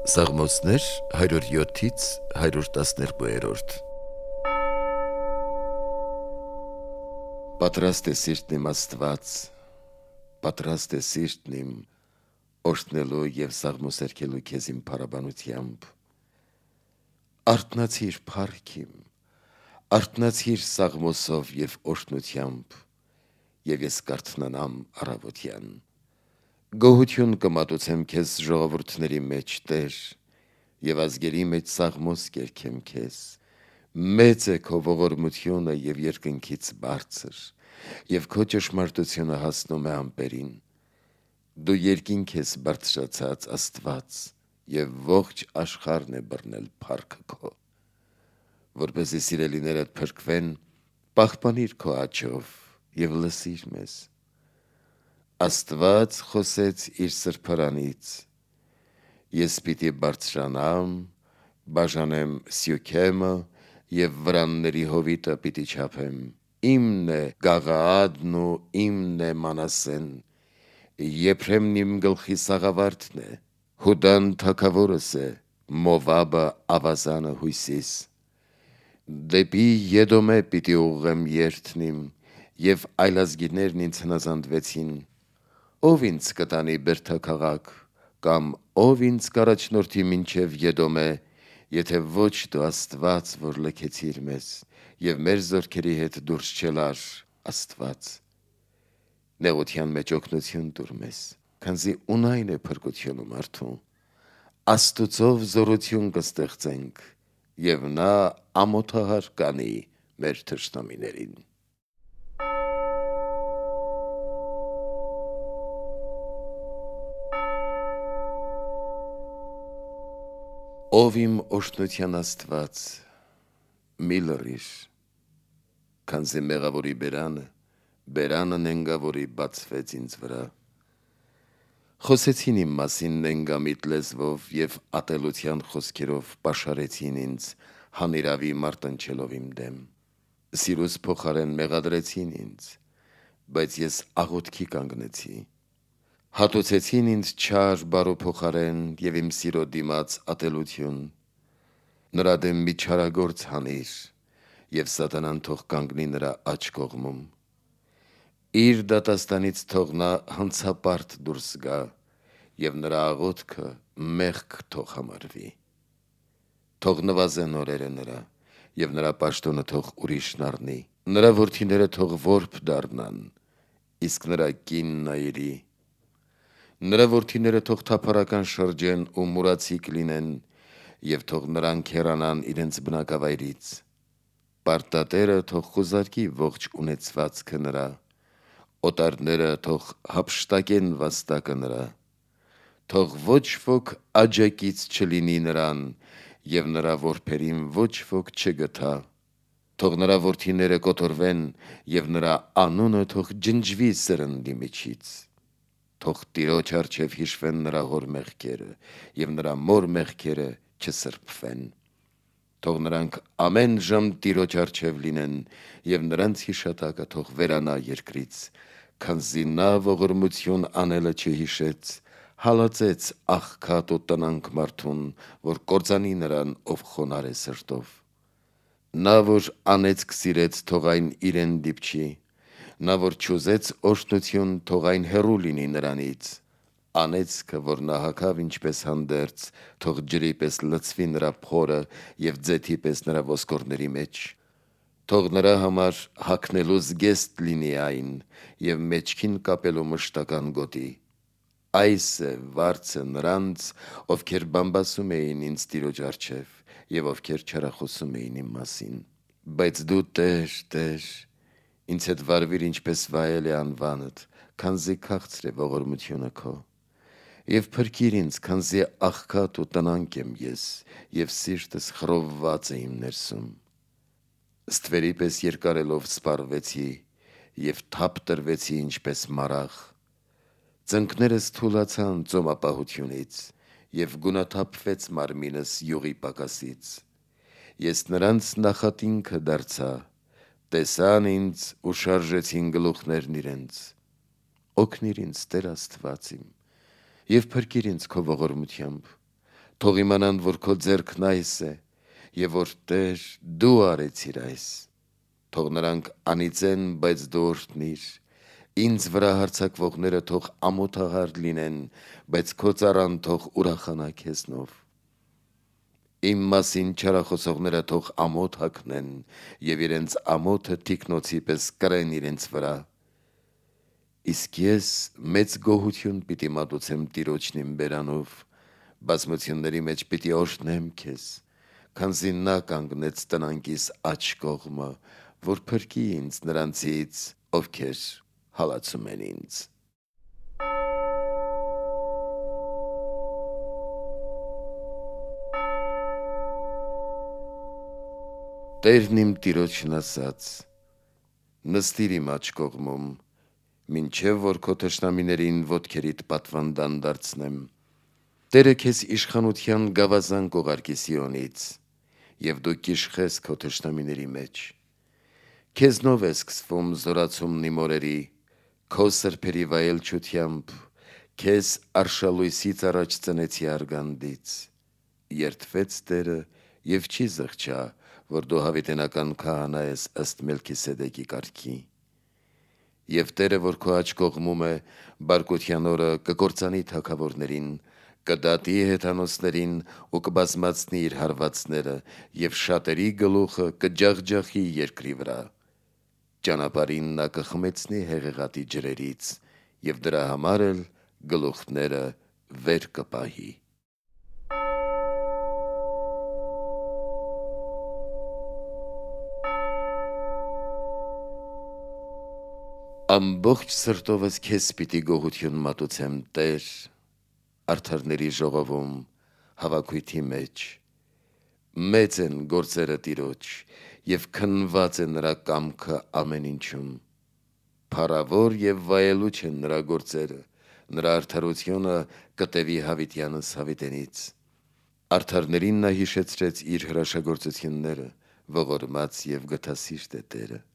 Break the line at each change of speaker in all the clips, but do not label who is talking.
Սաղմոսներ 107-ից 112-րդ Պատրաստ է սիրտն իմ Աստված, պատրաստ է սիրտն իմ օրհնելու և սաղմոսերգելու քեզ իմ փառաբանությամբ։ Արթնացիր փառք իմ, արթնացիր սաղմոսով և օրհնությամբ, և ես կարթնանամ առավոտյան։ Գոհություն կմատուցեմ քեզ ժողովուրդների մեջ, Տեր, և ազգերի մեջ սաղմոս կերգեմ քեզ։ Մեծ է քո ողորմությունը և երկնքից բարձր, և քո ճշմարտությունը հասնում է ամպերին։ Դու երկինք ես բարձրացած Աստված, և ողջ աշխարհն է բռնել փառքը քո։ Որպեսզի սիրելիներդ փրկվեն, պահպանիր քո աջով և լսիր մեզ։ Աստված խոսեց իր սրբարանից. Ես պիտի բարձրանամ, բաժանեմ Սյոքեմը և վրանների հովիտը պիտի չափեմ։ Իմն է Գաղաադն ու իմն է Մանասեն, Եփրեմն իմ գլխի սաղավարտն է, Հուդան թագավորս է, Մովաբը ավազանը հույսիս։ Դեպի Եդոմե պիտի ուղղեմ երթն իմ, և այլազգիներն ինձ հնազանդվեցին։ Ո՞վ ինձ կտանի բերդաքաղաք, կամ ո՞վ ինձ կառաջնորդի մինչև Եդոմե, եթե ոչ դու Աստված, որ լքեցիր մեզ, և մեր զորքերի հետ դուրս չելար, Աստված։ Նեղության մեջ օգնություն տուր մեզ, քանզի ունայն է փրկությունը մարդու։ Աստուծով զորություն կստեղծենք, և նա ամոթահար կանի մեր թշնամիներին։ Ով իմ օրհնության Աստված, մի լռիր, քանզի մեղավորի բերանը նենգավորի բացվեց ինձ վրա։ Խոսեցին իմ մասին նենգամիտ լեզվով և ատելության խոսքերով պաշարեցին ինձ, հանիրավի մարտնչելով իմ դեմ։ Սիրուս փոխարեն մեղադրեցին ինձ, բայց ես աղոթքի կանգնեցի։ Հատուցեցին ինձ չար բարու փոխարեն և իմ սիրո դիմաց ատելություն։ Նրա դեմ մի չարագործ հանիր, և սատանան թող կանգնի նրա աջ կողմում։ Իր դատաստանից թող նա հանցապարտ դուրս գա, և նրա աղոթքը մեղք թող համարվի։ Թող նվազեն օրերը նրա, և նրա պաշտոնը թող ուրիշն առնի։ Նրա որդիները թող որբ դառնան, իսկ նրա կինն այրի։ Նրա որդիները թող թափառական շրջեն ու մուրացիկ լինեն, և թող նրանք հեռանան իրենց բնակավայրից։ Պարտատերը թող խուզարկի ողջ ունեցվածքը նրա, օտարները թող հափշտակեն վաստակը նրա։ Թող ոչ ոք աջակից չլինի նրան, և նրա որբերին ոչ ոք չգթա։ Թող նրա որդիները կոտորվեն, և նրա անունը թող ջնջվի սրնդի միջից։ Թող Տիրոջ առջև հիշվեն նրա հոր մեղքերը, և նրա մոր մեղքերը չսրբվեն։ Թող նրանք ամեն ժամ Տիրոջ առջև լինեն, և նրանց հիշատակը թող վերանա երկրից, քանզի նա ողորմություն անելը չհիշեց, հալածեց աղքատ ու տնանկ մարդուն, որ կործանի նրան, ով խոնարհ է սրտով։ Նա, որ անեծք սիրեց, թող այն իրեն դիպչի, նա, որ չուզեց օրհնություն, թող այն հեռու լինի նրանից։ Անեծքը, որ նա հագավ ինչպես հանդերձ, թող ջրի պես լցվի նրա փորը և ձեթի պես նրա ոսկորների մեջ։ Թող նրա համար հագնելու զգեստ լինի այն, և մեջքին կապելու մշտական գոտի։ Այս է վարձը նրանց, ովքեր բամբասում էին ինձ Տիրոջ առջև, և ովքեր չարախոսում էին իմ մասին։ Բայց դու, Տեր, Տեր, ինձ հետ վարվիր, ինչպես վայել է անվանդ, քանզի քաղցր է ողորմությունը քո։ Եվ փրկիր ինձ, քանզի աղքատ ու տնանկ եմ ես, և սիրտս խռովված է իմ ներսում։ Ստվերի պես երկարելով սպառվեցի, և թափ տրվեցի ինչպես մարաղ։ Ծնկներս թուլացան ծոմապահությունից, և գունաթափվեց մարմինս յուղի պակասից։ Ես նրանց նախատինքը դարձա, տեսան ինձ ու շարժեցին գլուխներն իրենց։ Օգնիր ինձ, Տեր Աստված իմ, և փրկիր ինձ քո ողորմությամբ։ Թող իմանան, որ քո ձեռքն այս է, եւ որ Տեր դու արեցիր այս։ Թող նրանք անիծեն, բայց դու օրհնիր։ Ինձ վրա հարձակվողները թող ամոթահար լինեն, բայց քո ծառան թող ուրախանա քեզնով։ Իմ մասին չարախոսողները թող ամոթ հագնեն եւ իրենց ամոթը թիկնոցի պես կրեն իրենց վրա։ Իսկ ես մեծ գոհություն պիտի մատուցեմ Տիրոջն իմ բերանով, բազմությունների մեջ պիտի օրհնեմ քեզ, քանզի նա կանգնեց տնանքիս աջ կողմը, որ փրկի ինձ նրանցից, ովքեր հալածում են ինձ։ Տերն իմ Տիրոջն ասաց. նստիր իմ աջ կողմում, մինչև որ քո թշնամիներին ոտքերիդ պատվանդան դարձնեմ։ Տերը քեզ իշխանության գավազան կողարկի Սիոնից, եւ դու կիշխես քո թշնամիների մեջ։ Քեզնով է սկսվում զորացումն իմ օրերի, քո սրբերի վայելչությամբ, քեզ արշալույսից առաջ ծնեցի արգանդից։ Երդվեց Տերը եւ չի զղջա, որ դու հավիտենական քահանա ես ըստ Մելքիսեդեկի կարգի։ Եվ Տերը, որ քո աջ կողմում է, բարկության օրը կկործանի թագավորներին, կդատի հեթանոսներին ու կբազմացնի իր հարվածները, եւ շատերի գլուխը կջախջախի երկրի վրա։ Ճանապարհին նա կխմեցնի հեղեղատի ջրերից, եւ դրա համար էլ գլուխները վեր կպահի։ Ամբողջ սրտովս քեզ պիտի գոհություն մատուցեմ, Տեր, արդարների ժողովում, հավաքույթի մեջ։ Մեծ են գործերը Տիրոջ, եւ քննված է նրա կամքը ամեն ինչում։ Փառավոր եւ վայելուչ են նրա գործերը, նրա արդարությունը կտևի հավիտյանս հավիտենից։ Արդարներին նա հիշեցրեց իր հրաշագործությունները, ողորմած եւ գթասիրտ է Տերը։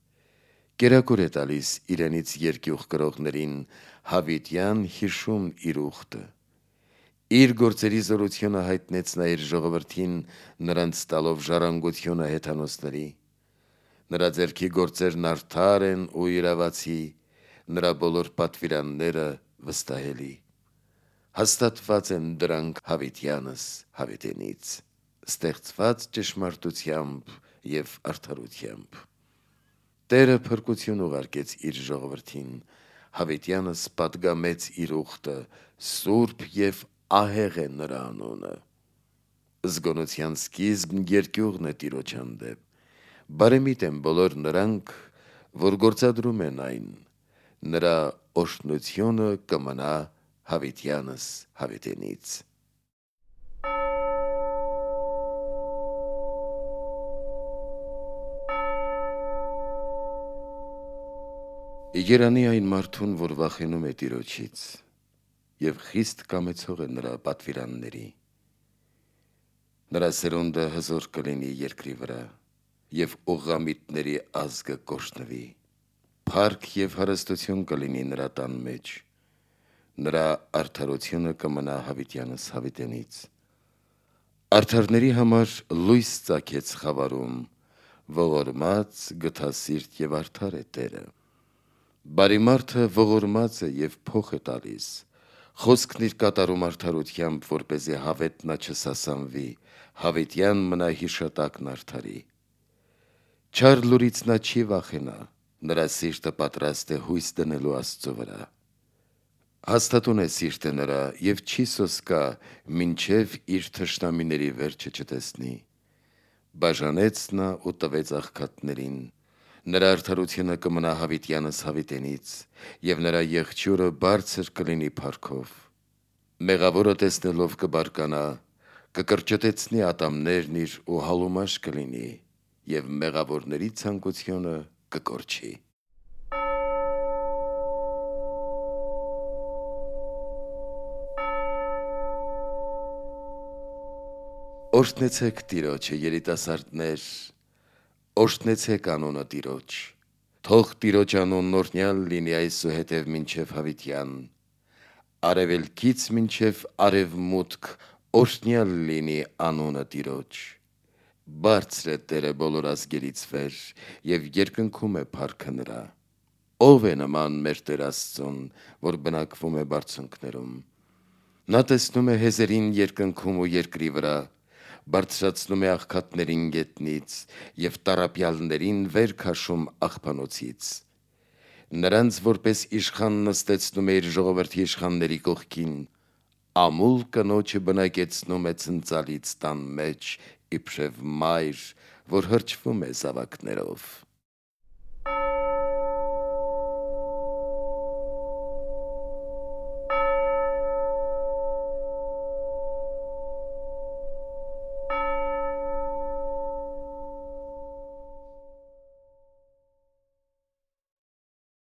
Կերակուր է տալիս իրենից երկյուղ կրողներին, հավիտյան հիշում իր ուխտը։ Իր գործերի զորությունը հայտնեց նա իր ժողովրդին, նրանց տալով ժառանգությունը հեթանոսների։ Նրա ձեռքի գործերն արդար են ու իրավացի, նրա բոլոր պատվիրանները վստահելի։ Հաստատված են դրանք հավիտյանս հավիտենից, ստեղծված ճշմարտությամբ եւ արդարությամբ։ Տերը փրկություն ուղարկեց իր ժողովրդին, հավիտյանս պատգամեց իր ուխտը, սուրբ եւ ահեղ է նրա անունը։ Զգոնության սկիզբն երկյուղն է Տիրոջ հանդեպ, բարեմիտ են բոլոր նրանք, որ գործադրում են այն, նրա օրհնությունը կմնա հավիտյանս հավիտենից։ Երանի այն մարդուն, որ վախենում է Տիրոջից, եւ խիստ կամեցող է նրա պատվիրանների։ Նրա սերունդը հզոր կլինի երկրի վրա, եւ ուղղամիտների ազգը կօրհնվի։ Փառք եւ հարստություն կլինի նրա տան մեջ, նրա արդարությունը կմնա հավիտյանս հավիտենից։ Արդարների համար լույս ծագեց խավարում, ողորմած, գթասիրտ եւ արդար է Տերը։ Բարի մարդը ողորմած է եւ փոխ է տալիս, խոսքն իր կատարում արդարությամբ, որպեսզի հավետնա չսասանվի, հավիտյան մնա հիշատակն արդարի։ Չար լուրից նա չի վախենա, նրա սիրտը պատրաստ է հույս դնելու Աստծո վրա։ Հաստատուն է սիրտը նրա եւ չի սոսկա, մինչև իր թշնամիների վերջը չտեսնի։ Բաժանեց նա ու տվեց աղքատներին, նրա արդարությունը կմնա հավիտյանս հավիտենից, եւ նրա եղջյուրը բարձր կլինի փառքով։ Մեղավորը տեսնելով կբարկանա, կկրճտեցնի ատամներն իր ու հալումաշ կլինի, եւ մեղավորների ցանկությունը կկորչի։ Օրհնեցեք Տիրոջը, երիտասարդներ, օրհնեցեք անունը Տիրոջ։ Թող Տիրոջ անունն օրհնյալ լինի այսուհետև մինչև հավիտյան, արևելքից մինչև արևմուտք Օրհնյալ լինի անունը Տիրոջ։ Բարձր է Տերը բոլոր ազգերից վեր, եւ երկնքում է փառքը նրա։ Ով է նման մեր Տեր Աստծուն, որ բնակվում է բարձունքներում։ Նա տեսնում է հեզերին երկնքում ու երկրի վրա, բարձրացնում է աղքատներին գետնից եւ տառապյալներին վեր քաշում աղբանոցից։ Նրանց որպես իշխան նստեցնում է իր ժողովրդի իշխանների կողքին, ամուլ կնոջը բնակեցնում է ցնծալից տան մեջ, իբրև մայր, որ հրճվում է զավակներով։